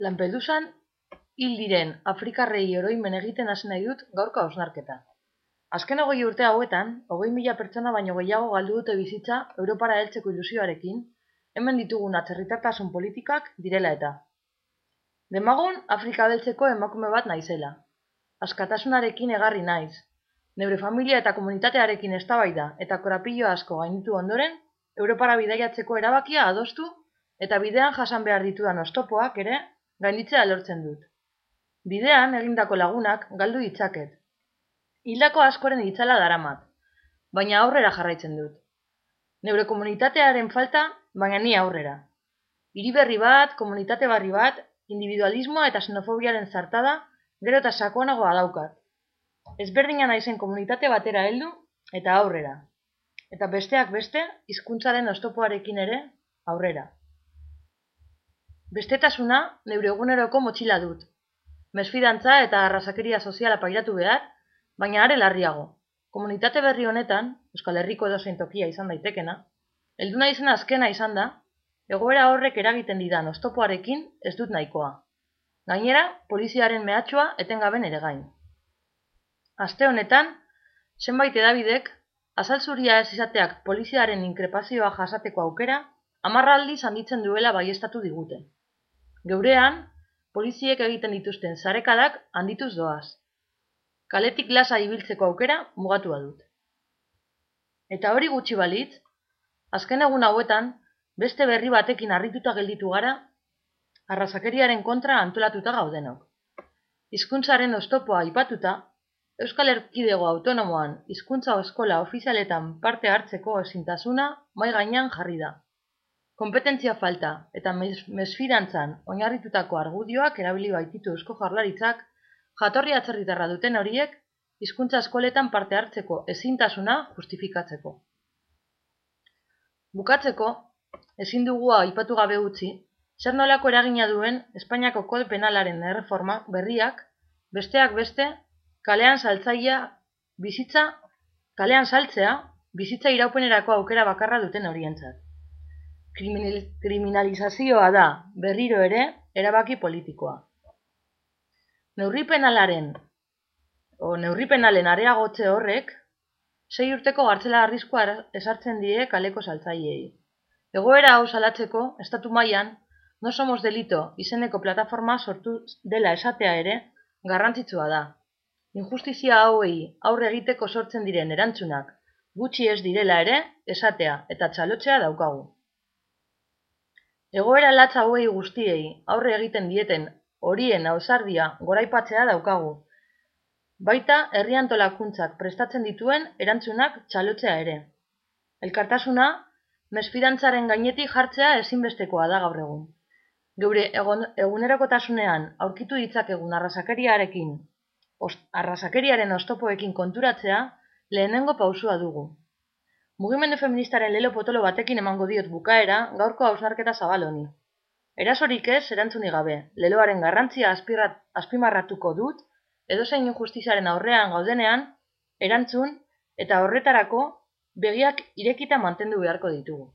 Lampedusan hil diren afrikarrei oroimen egiten hasi nahi dut gaurko hausnarketa. Azken 20 urte hauetan, 20.000 pertsona baino gehiago galdu dute bizitza Europara heltzeko ilusioarekin, hemen ditugun atzerritartasun politikak direla eta. Demagun Afrika beltzeko emakume bat naizela. Askatasunarekin egarri naiz. Neure familia eta komunitatearekin eztabaida eta korapilo asko gainditu ondoren, Europara bidaiatzeko erabakia adostu eta bidean jasan behar ditudan oztopoak ere gainditzea lortzen dut. Bidean egindako lagunak galdu ditzaket. Hildako askoren itzala daramat, baina aurrera jarraitzen dut. Neure komunitatearen falta, baina ni aurrera. Hiri berri bat, komunitate barri bat, individualismoa eta xenofobiaren zartada, gero eta sakonagoa daukat. Ezberdina naizen komunitate batera heldu eta aurrera. Eta besteak beste, hizkuntzaren oztopoarekin ere aurrera. Bestetasuna neure eguneroko motxila dut. Mesfidantza eta arrazakeria soziala pairatu behar, baina are larriago. Komunitate berri honetan, Euskal Herriko edozein tokia izan daitekena, heldu naizen azkena izan da, egoera horrek eragiten didan oztopoarekin ez dut nahikoa. Gainera, poliziaren mehatxua etengaben ere gain. Aste honetan, zenbait hedabidek, azal zuria ez izateak poliziaren inkrepazioa jasateko aukera, 10 aldiz handitzen duela baieztatu digute. Geurean, poliziek egiten dituzten sarekadak handituz doaz. Kaletik lasa ibiltzeko aukera mugatua dut. Eta hori gutxi balitz, azken egun hauetan, beste berri batekin harrituta gelditu gara, arrazakeriaren kontra antolatuta gaudenok. Hizkuntzaren oztopoa aipatuta, Euskal Erkidego Autonomoan hizkuntza eskola ofizialetan parte hartzeko ezintasuna mahai gainean jarri da. Konpetentzia falta eta mesfidantzan oinarritutako argudioak erabili baititu Eusko Jaurlaritzak, jatorri atzerritarra duten horiek hizkuntza eskoletan parte hartzeko ezintasuna justifikatzeko. Bukatzeko, ezin dugu aipatu gabe utzi, zer nolako eragina duen Espainiako kode penalaren erreforma berriak, besteak beste, kalean saltzea bizitza iraupenerako aukera bakarra duten horientzat. Kriminalizazioa da, berriro ere, erabaki politikoa. Neurri penalen areagotze horrek, 6 urteko gartzela arriskua ezartzen die kaleko saltzaileei. Egoera hau salatzeko, estatu mailan, No Somos Delito izeneko plataforma sortu dela esatea ere, garrantzitsua da. Injustizia hauei aurre egiteko sortzen diren erantzunak gutxi ez direla ere, esatea eta txalotzea daukagu. Egoera latz hauei guztiei aurre egiten dieten horien ausardia goraipatzea daukagu. Baita herri antolakuntzak prestatzen dituen erantzunak txalotzea ere. Elkartasuna, mesfidantzaren gainetik jartzea ezinbestekoa da gaur egun. Geure egunerokotasunean aurkitu ditzakegun arrazakeriaren oztopoekin konturatzea lehenengo pausua dugu. Mugimendu feministaren lelo potolo batekin emango diot bukaera gaurko hausnarketa zabal honi. Erasorik ez erantzunik gabe, leloaren garrantzia azpimarratuko dut, edozein injustiziaren aurrean gaudenean, erantzun eta horretarako begiak irekita mantendu beharko ditugu.